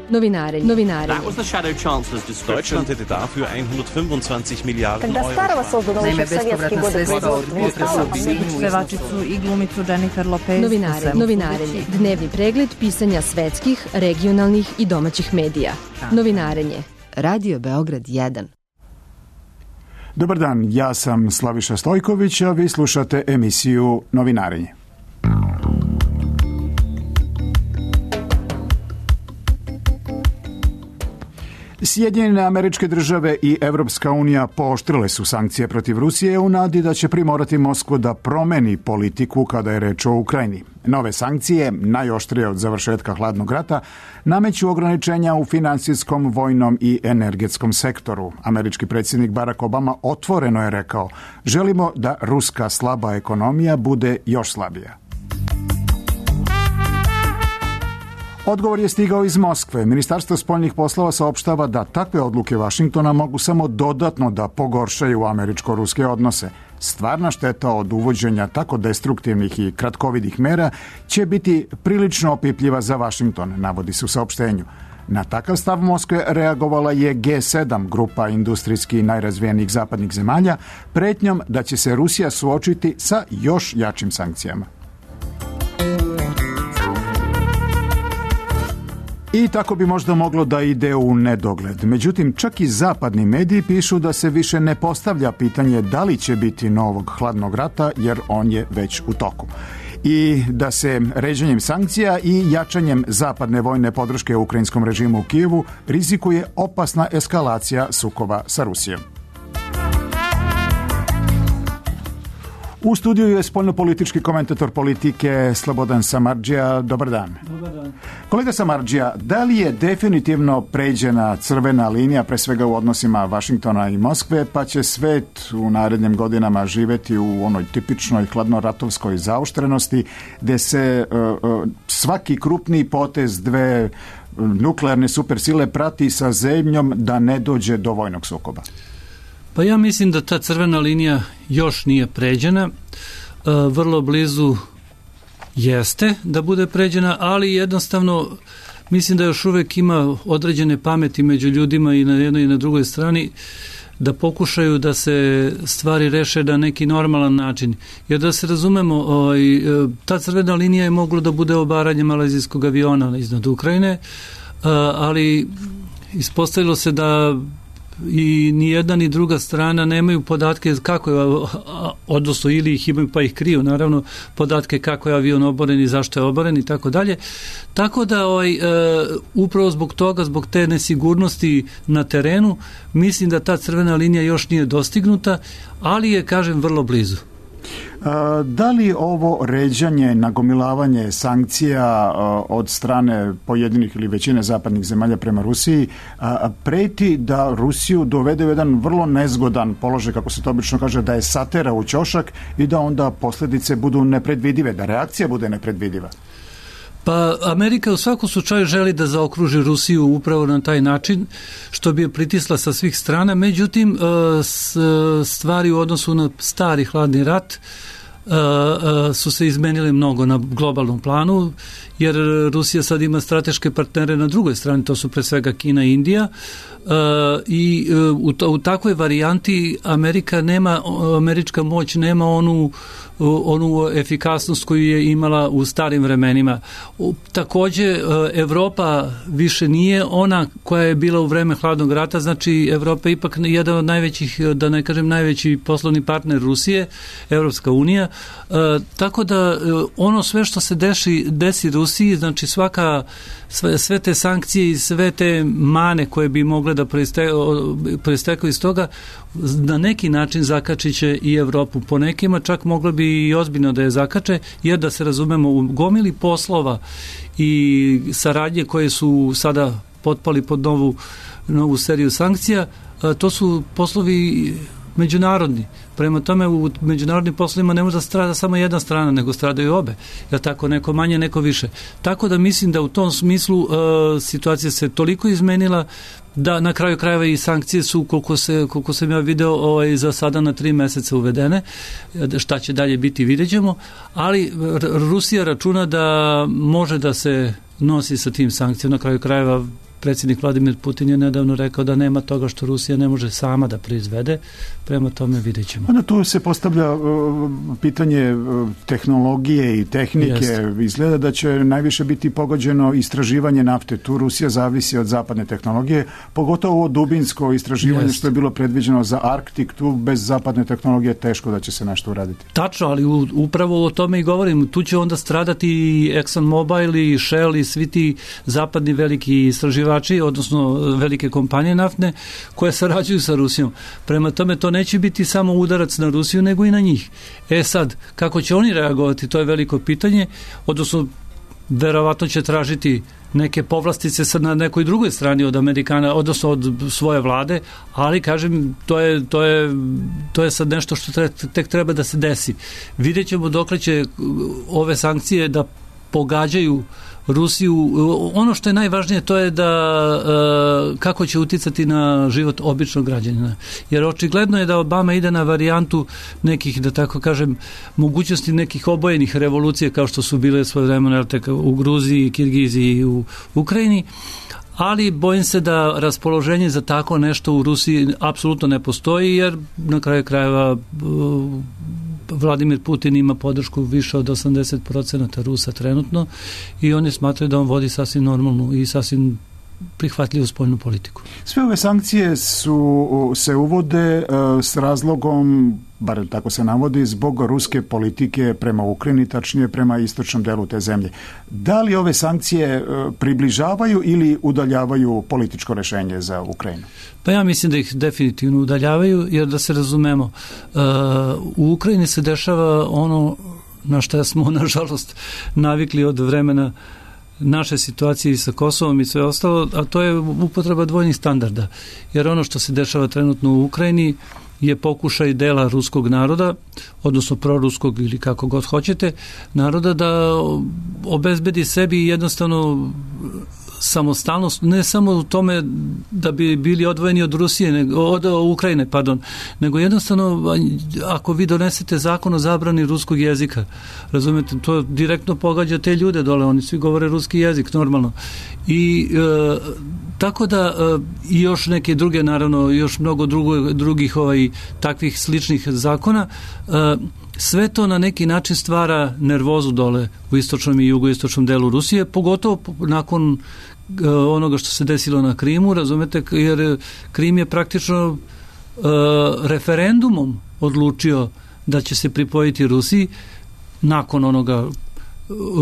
Novinarenje. That was the Shadow Chancellor's description. Deutschland hätte dafür 125 Milijarden Когда Euro. старого создано Naime, еще в советские bespovratna годы sredstva od производства pevačicu i glumicu Jennifer Lopez. Novinarenje. Dnevni pregled pisanja svetskih, regionalnih i domaćih medija. Novinarenje. Radio Beograd 1. Dobar dan, ja sam Slaviša Stojković, a vi slušate emisiju Novinarenje. Sjedinjene Američke Države i Evropska unija pooštrile su sankcije protiv Rusije u nadi da će primorati Moskvu da promeni politiku kada je reč o Ukrajini. Nove sankcije, najoštrije od završetka hladnog rata, nameću ograničenja u finansijskom, vojnom i energetskom sektoru. Američki predsjednik Barack Obama otvoreno je rekao: želimo da ruska slaba ekonomija bude još slabija. Odgovor je stigao iz Moskve. Ministarstvo spoljnih poslova saopštava da takve odluke Vašingtona mogu samo dodatno da pogoršaju američko-ruske odnose. Stvarna šteta od uvođenja tako destruktivnih i kratkovidih mera će biti prilično opipljiva za Vašington, navodi se u saopštenju. Na takav stav Moskve reagovala je G7, grupa industrijski najrazvijenijih zapadnih zemalja, pretnjom da će se Rusija suočiti sa još jačim sankcijama. I tako bi možda moglo da ide u nedogled. Međutim, čak i zapadni mediji pišu da se više ne postavlja pitanje da li će biti novog hladnog rata, jer on je već u toku. I da se ređenjem sankcija i jačanjem zapadne vojne podrške ukrajinskom režimu u Kijevu rizikuje opasna eskalacija sukoba sa Rusijom. U studiju je spoljnopolitički komentator politike Slobodan Samardžija. Dobar dan. Dobar dan. Kolega Samardžija, da li je definitivno pređena crvena linija, pre svega u odnosima Vašingtona i Moskve, pa će svet u narednim godinama živeti u onoj tipičnoj hladnoratovskoj zaoštrenosti, gde se svaki krupni potez dve nuklearne supersile prati sa zebnjom da ne dođe do vojnog sukoba? Pa ja mislim da ta crvena linija još nije pređena, vrlo blizu jeste da bude pređena, ali jednostavno mislim da još uvek ima određene pameti među ljudima i na jednoj i na drugoj strani da pokušaju da se stvari reše na neki normalan način. Jer da se razumemo, ta crvena linija je moglo da bude obaranje malezijskog aviona iznad Ukrajine, ali ispostavilo se da i ni jedna ni druga strana nemaju podatke kako je, odnosno ili ih imaju pa ih kriju, naravno, podatke kako je avion oboren i zašto je oboren i tako dalje. Tako da upravo zbog toga, zbog te nesigurnosti na terenu, mislim da ta crvena linija još nije dostignuta, ali je, kažem, vrlo blizu. Da li ovo ređanje, nagomilavanje sankcija od strane pojedinih ili većine zapadnih zemalja prema Rusiji preti da Rusiju dovede u jedan vrlo nezgodan položaj, kako se to obično kaže, da je satera u ćošak i da onda posljedice budu nepredvidive, da reakcija bude nepredvidiva? Pa Amerika u svakom slučaju želi da zaokruži Rusiju upravo na taj način, što bi je pritisla sa svih strana. Međutim, stvari u odnosu na stari hladni rat su se izmenile mnogo na globalnom planu, jer Rusija sad ima strateške partnere na drugoj strani, to su pre svega Kina i Indija, i u takvoj varijanti američka moć nema onu efikasnost koju je imala u starim vremenima. Takođe, Evropa više nije ona koja je bila u vreme hladnog rata, znači Evropa je ipak jedan od najvećih, da ne kažem najveći poslovni partner Rusije, Evropska unija, tako da ono sve što se desi Rusiji, znači sve te sankcije i sve te mane koje bi mogle da proistekaju iz toga, na neki način zakačit će i Evropu. Po nekima čak moglo bi i ozbiljno da je zakače, jer da se razumemo, u gomili poslova i saradnje koje su sada potpali pod novu seriju sankcija, to su poslovi međunarodni. Prema tome, u međunarodnim poslovima ne može da strada samo jedna strana, nego stradaju obe. Jer tako, neko manje, neko više. Tako da mislim da u tom smislu situacija se toliko izmenila da na kraju krajeva i sankcije su, koliko sam ja video, za sada na 3 meseca uvedene. Šta će dalje biti, vidjet ćemo. Ali Rusija računa da može da se nosi sa tim sankcijama. Na kraju krajeva predsjednik Vladimir Putin je nedavno rekao da nema toga što Rusija ne može sama da proizvede, prema tome vidjet ćemo. Onda tu se postavlja pitanje tehnologije i tehnike. Jeste. Izgleda da će najviše biti pogođeno istraživanje nafte. Tu Rusija zavisi od zapadne tehnologije, pogotovo ovo dubinsko istraživanje što je bilo predviđeno za Arktik. Tu bez zapadne tehnologije teško da će se nešto uraditi. Tačno, ali upravo o tome i govorim. Tu će onda stradati i ExxonMobil i Shell i svi ti zapadni veliki istraživači, odnosno velike kompanije naftne koje sarađuju sa Rusijom. Prema tome to neće biti samo udarac na Rusiju, nego i na njih. Sad, kako će oni reagovati, to je veliko pitanje, odnosno verovatno će tražiti neke povlastice sad na nekoj drugoj strani od Amerikana, odnosno od svoje vlade, ali kažem, to je sad nešto što tek treba da se desi. Vidjet ćemo dokle će ove sankcije da pogađaju Rusiju. Ono što je najvažnije to je da kako će uticati na život običnog građanina. Jer očigledno je da Obama ide na varijantu nekih, da tako kažem, mogućnosti nekih obojenih revolucija kao što su bile svoje vremena u Gruziji, Kirgiziji i u Ukrajini, ali bojim se da raspoloženje za tako nešto u Rusiji apsolutno ne postoji, jer na kraju krajeva Vladimir Putin ima podršku više od 80% Rusa trenutno i oni smatraju da on vodi sasvim normalnu i sasvim prihvatljivu spoljnu politiku. Sve ove sankcije se uvode s razlogom, bar tako se navodi, zbog ruske politike prema Ukrajini, tačnije prema istočnom delu te zemlje. Da li ove sankcije približavaju ili udaljavaju političko rešenje za Ukrajinu? Pa ja mislim da ih definitivno udaljavaju, jer da se razumemo, u Ukrajini se dešava ono na što smo nažalost navikli od vremena naše situacije sa Kosovom i sve ostalo, a to je upotreba dvojnih standarda. Jer ono što se dešava trenutno u Ukrajini je pokušaj dela ruskog naroda, odnosno proruskog ili kako god hoćete, naroda da obezbedi sebi jednostavno samostalnost, ne samo u tome da bi bili odvojeni od Rusije, od Ukrajine, nego jednostavno ako vi donesete zakon o zabrani ruskog jezika, razumete, to direktno pogađa te ljude dole, oni svi govore ruski jezik normalno. I tako da i još neke druge, naravno, još mnogo drugih takvih sličnih zakona, sve to na neki način stvara nervozu dole u istočnom i jugoistočnom delu Rusije, pogotovo nakon onoga što se desilo na Krimu, razumete, jer Krim je praktično referendumom odlučio da će se pripojiti Rusiji nakon onoga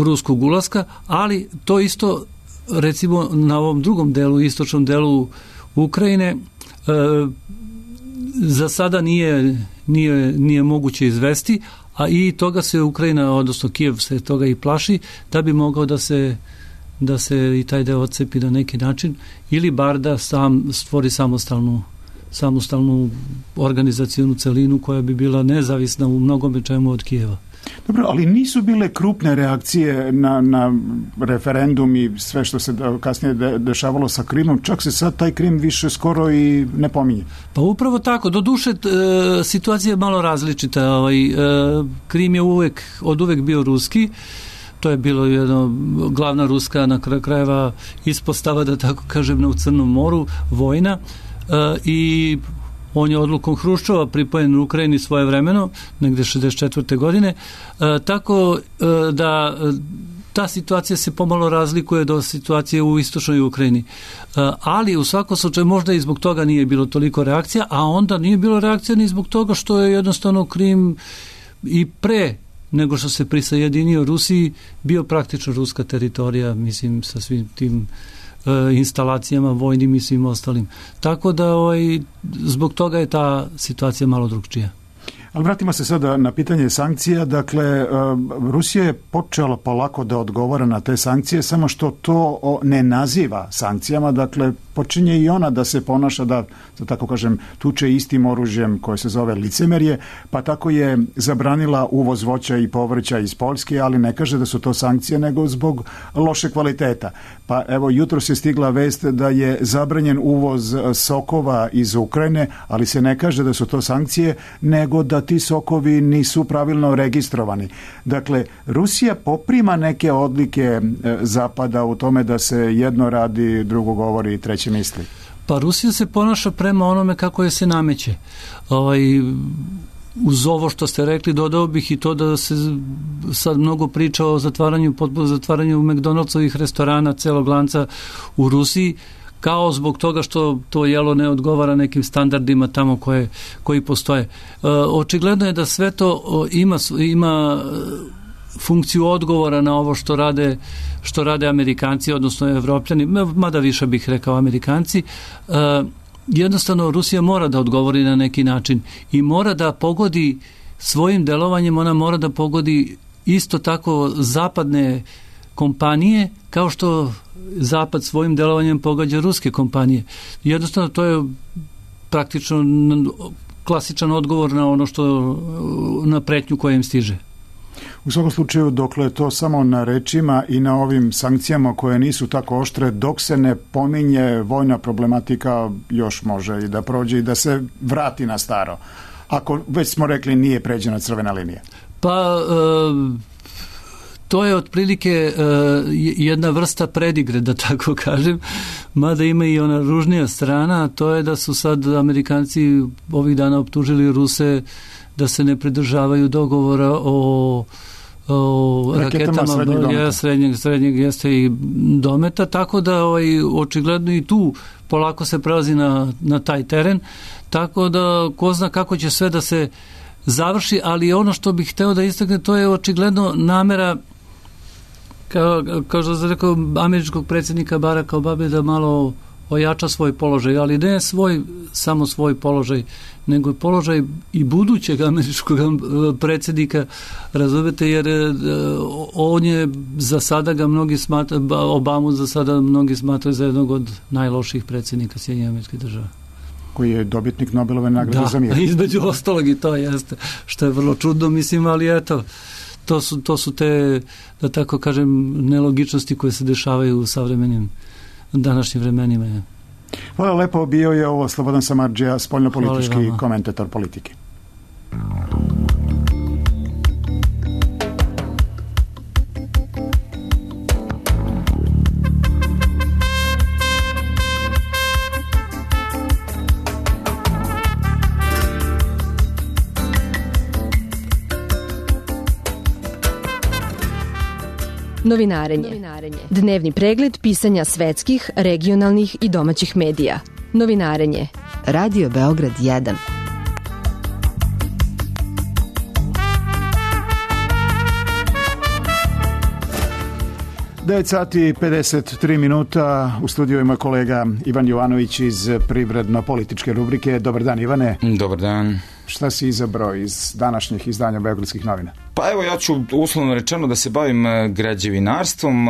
ruskog ulaska, ali to isto recimo na ovom drugom delu, istočnom delu Ukrajine, za sada nije moguće izvesti, a i toga se Ukrajina, odnosno Kijev se toga i plaši, da bi mogao da se i taj deo odcepi na neki način, ili bar da stvori samostalnu organizacionu celinu koja bi bila nezavisna u mnogome čemu od Kijeva. Dobro, ali nisu bile krupne reakcije na referendum i sve što se kasnije dešavalo sa Krimom, čak se sad taj Krim više skoro i ne pominje. Pa upravo tako, do duše situacija je malo različita. Krim je od uvek bio ruski, to je bilo jedna glavna ruska na kraju krajeva ispostava, da tako kažem, u Crnom moru, vojna, i on je odlukom Hruščova pripojen u Ukrajini svojevremeno, negde 64. godine, tako da ta situacija se pomalo razlikuje do situacije u istočnoj Ukrajini. Ali u svakom slučaju možda i zbog toga nije bilo toliko reakcija, a onda nije bilo reakcija ni zbog toga što je jednostavno Krim i pre nego što se prisajedinio Rusiji bio praktično ruska teritorija, mislim, sa svim tim instalacijama vojnim i svim ostalim. Tako da zbog toga je ta situacija malo drugčija. Ali vratimo se sada na pitanje sankcija. Dakle, Rusija je počela polako da odgovara na te sankcije, samo što to ne naziva sankcijama. Dakle, počinje i ona da se ponaša da tako kažem, tuče istim oružjem koje se zove licemerje, pa tako je zabranila uvoz voća i povrća iz Poljske, ali ne kaže da su to sankcije, nego zbog loše kvaliteta. Pa evo, jutros je stigla vest da je zabranjen uvoz sokova iz Ukrajine, ali se ne kaže da su to sankcije, nego da ti sokovi nisu pravilno registrovani. Dakle, Rusija poprima neke odlike Zapada u tome da se jedno radi, drugo govori i treće misli. Pa Rusija se ponaša prema onome kako je se nameće. Uz ovo što ste rekli, dodao bih i to da se sad mnogo priča o zatvaranju McDonald'sovih restorana, celog lanca u Rusiji, kao zbog toga što to jelo ne odgovara nekim standardima tamo koji postoje. Očigledno je da sve to ima funkciju odgovora na ovo što rade Amerikanci, odnosno Evropljani, mada više bih rekao Amerikanci. Jednostavno Rusija mora da odgovori na neki način i mora da pogodi svojim delovanjem, ona mora da pogodi isto tako zapadne kompanije kao što Zapad svojim delovanjem pogađa ruske kompanije. Jednostavno to je praktično klasičan odgovor na ono na pretnju koja im stiže. U svakom slučaju, dokle je to samo na rečima i na ovim sankcijama koje nisu tako oštre, dok se ne pominje vojna problematika, još može i da prođe i da se vrati na staro. Ako već smo rekli nije pređena crvena linija. Pa to je otprilike jedna vrsta predigre, da tako kažem, mada ima i ona ružnija strana, a to je da su sad Amerikanci ovih dana optužili Ruse da se ne pridržavaju dogovora o raketama srednjeg jeste i dometa, tako da očigledno i tu polako se prelazi na taj teren, tako da ko zna kako će sve da se završi, ali ono što bih hteo da istaknem, to je očigledno namera, kao što sam rekao, američkog predsjednika Baracka Obame da malo ojača svoj položaj, ali ne samo svoj položaj, nego položaj i budućeg američkog predsjednika, razumete, jer on je za sada ga mnogi smatraju, Obamu za sada mnogi smatraju za jednog od najloših predsjednika Sjedinjenih Američkih Država. Koji je dobitnik Nobelove nagrade za mir. Da, između ostalog i to jeste, što je vrlo čudno, mislim, ali eto, to su te, da tako kažem, nelogičnosti koje se dešavaju u savremenim današnjim vremenima. Hvala lepo, bio je ovo Slobodan Samardžija, spoljnopolitički komentator politike. Novinarenje. Dnevni pregled pisanja svetskih, regionalnih i domaćih medija. Novinarenje. Radio Beograd 1. Devet sati 53 minuta. U studiju ima kolega Ivan Jovanović iz privredno-političke rubrike. Dobar dan, Ivane. Dobar dan. Šta si izabrao iz današnjih izdanja Beogradskih novina? Pa evo, ja ću uslovno rečeno da se bavim građevinarstvom,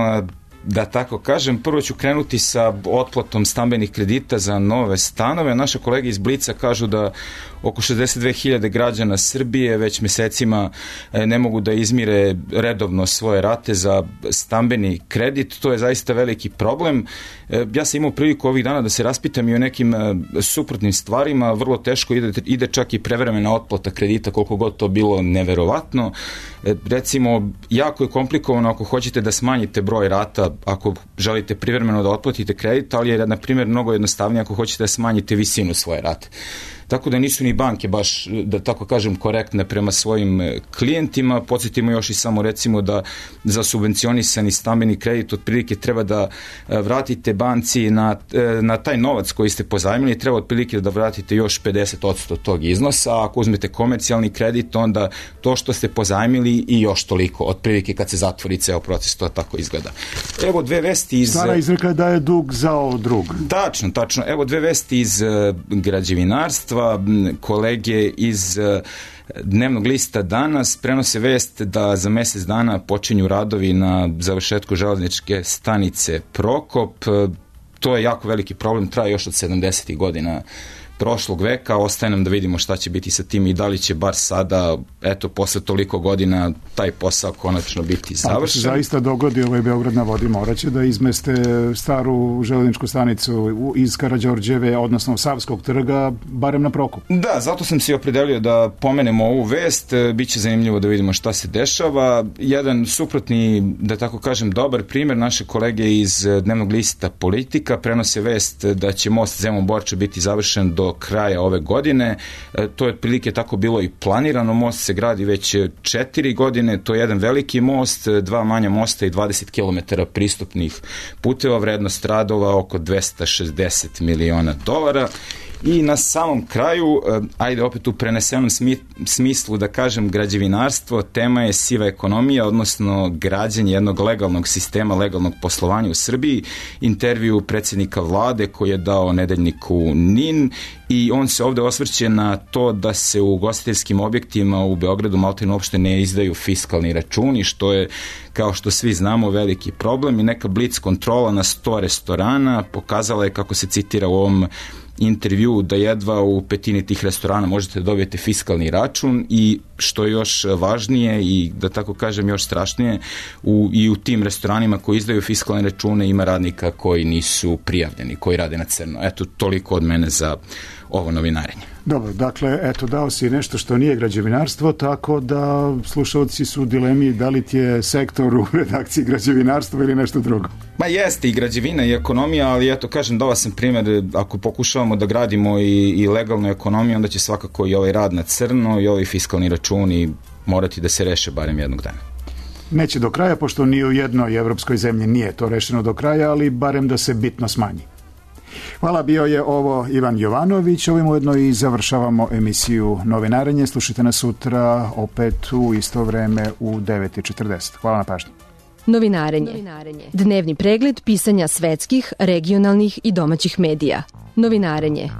da tako kažem. Prvo ću krenuti sa otplatom stambenih kredita za nove stanove. Naša kolega iz Blica kažu da oko 62.000 građana Srbije već mesecima ne mogu da izmire redovno svoje rate za stambeni kredit. To je zaista veliki problem. Ja sam imao priliku ovih dana da se raspitam i o nekim suprotnim stvarima. Vrlo teško ide čak i prevremena otplata kredita, koliko god to bilo neverovatno. Recimo, jako je komplikovano ako hoćete da smanjite broj rata, ako želite privremeno da otplatite kredit, ali je, na primjer, mnogo jednostavnije ako hoćete da smanjite visinu svoje rate. Tako da nisu ni banke baš, da tako kažem, korektne prema svojim klijentima. Podsjetimo još i samo, recimo, da za subvencionisani stambeni kredit otprilike treba da vratite banci na taj novac koji ste pozajmili, treba otprilike da vratite još 50% tog iznosa, a ako uzmete komercijalni kredit, onda to što ste pozajmili i još toliko, otprilike kad se zatvori ceo proces, to tako izgleda. Evo dve vesti iz... Stara izreka da je dug zao drug. Tačno. Evo dve vesti iz građevinarstva. Kolege iz Dnevnog lista danas prenose vest da za mesec dana počinju radovi na završetku železničke stanice Prokop. to je jako veliki problem, traje još od 70. godina prošlog veka, ostaje nam da vidimo šta će biti sa tim i da li će bar sada, eto, posle toliko godina taj posao konačno biti završen. Ako se zaista dogodi Beograd na vodi, moraće da izmeste staru železničku stanicu iz Karađorđeve, odnosno Savskog trga, barem na Prokop. Da, zato sam se opredelio da pomenemo ovu vest, biće zanimljivo da vidimo šta se dešava. Jedan suprotni, da tako kažem, dobar primjer, naše kolege iz dnevnog lista Politika prenose vest da će most Zemun-Borča biti završen do kraja ove godine. To je otprilike tako bilo i planirano. Most se gradi već 4 godine. To je jedan veliki most, 2 manja mosta i 20 km pristupnih puteva. Vrednost radova oko $260 miliona. I na samom kraju, ajde opet u prenesenom smislu da kažem građevinarstvo, tema je siva ekonomija, odnosno građenje jednog legalnog sistema, legalnog poslovanja u Srbiji. Intervju predsjednika vlade koji je dao nedeljniku NIN i on se ovde osvrće na to da se u ugostiteljskim objektima u Beogradu maltene uopšte ne izdaju fiskalni računi, što je, kao što svi znamo, veliki problem i neka blic kontrola na 100 restorana pokazala je, kako se citira u ovom intervju, da jedva u petini tih restorana možete da dobijete fiskalni račun i što je još važnije i da tako kažem još strašnije, i u tim restoranima koji izdaju fiskalne račune ima radnika koji nisu prijavljeni, koji rade na crno. Eto, toliko od mene za ovo novinarenje. Dobro, dakle, eto, dao si nešto što nije građevinarstvo, tako da slušalci su u dilemi da li ti je sektor u redakciji građevinarstva ili nešto drugo. Ma jeste i građevina i ekonomija, ali eto kažem, dao sam primjer, ako pokušavamo da gradimo i legalnu ekonomiju, onda će svakako i ovaj rad na crno i ovi fiskalni računi morati da se reše barem jednog dana. Neće do kraja, pošto ni u jednoj evropskoj zemlji nije to rešeno do kraja, ali barem da se bitno smanji. Hvala, bio je ovo Ivan Jovanović. Ovim ujedno i završavamo emisiju Novinarenje. Slušajte nas sutra opet u isto vreme u 9:40. Hvala na pažnji. Novinarenje. Dnevni pregled pisanja svetskih, regionalnih i domaćih medija. Novinarenje.